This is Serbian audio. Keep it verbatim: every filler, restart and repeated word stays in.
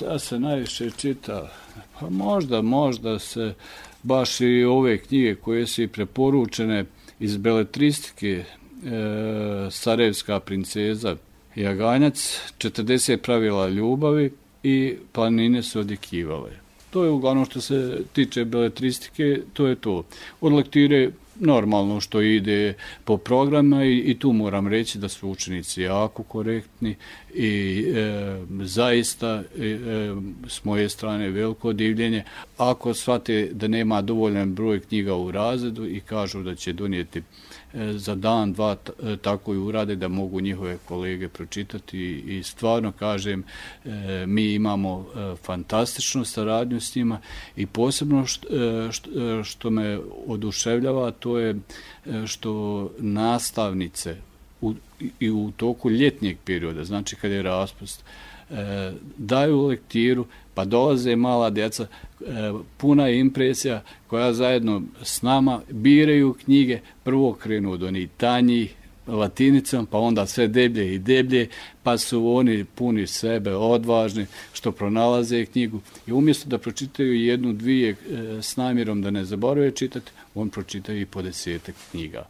Šta se najviše čita? Pa možda, možda se baš i ove knjige koje su i preporučene iz beletristike, e, Sarajevska princeza, Jaganjac, četrdeset pravila ljubavi i Planine su odjekivale. To je uglavnom što se tiče beletristike, to je to. Od lektire normalno što ide po programima i, i tu moram reći da su učenici jako korektni i e, zaista e, s moje strane veliko divljenje. Ako shvate da nema dovoljan broj knjiga u razredu i kažu da će donijeti e, za dan, dva, t, tako i urade da mogu njihove kolege pročitati i stvarno kažem e, mi imamo e, fantastičnu saradnju s njima i posebno što, e, što, što me oduševljava to je što nastavnice u, i u toku ljetnjeg perioda, znači kad je raspust, e, daju lektiru, pa dolaze mala djeca, e, puna je impresija koja zajedno s nama biraju knjige, prvo krenu od onih tanjih, latinicom, pa onda sve deblje i deblje, pa su oni puni sebe, odvažni, što pronalaze knjigu i umjesto da pročitaju jednu, dvije e, s namjerom da ne zaborave čitati, on pročitaju i po desetak knjiga.